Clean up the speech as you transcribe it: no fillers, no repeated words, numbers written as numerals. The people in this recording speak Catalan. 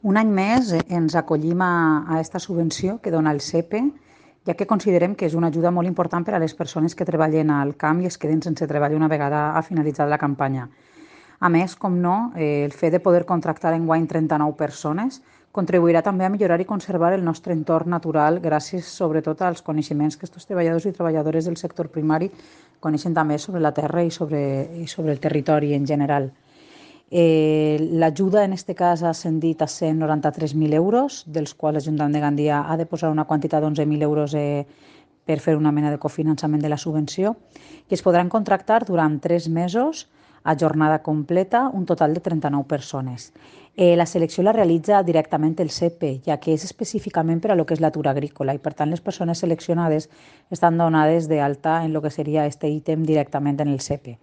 Un any més ens acollim a esta subvenció que dona el SEPE, ja que considerem que és una ajuda molt important per a les persones que treballen al camp i es queden sense treball una vegada ha finalitzat la campanya. A més, com no, el fet de poder contractar enguany 39 persones contribuirà també a millorar i conservar el nostre entorn natural gràcies sobretot als coneixements que aquests treballadors i treballadores del sector primari coneixen també sobre la terra i sobre el territori en general. L'ajuda en aquest cas ha ascendit a 193.000 euros, dels quals l'Ajuntament de Gandia ha de posar una quantitat d'11.000 euros per fer una mena de cofinançament de la subvenció, i es podran contractar durant 3 mesos a jornada completa un total de 39 persones. La selecció la realitza directament el SEPE, ja que és específicament per a lo que és l'atur agrícola i, per tant, les persones seleccionades estan donades d'alta en el que seria este ítem directament en el SEPE.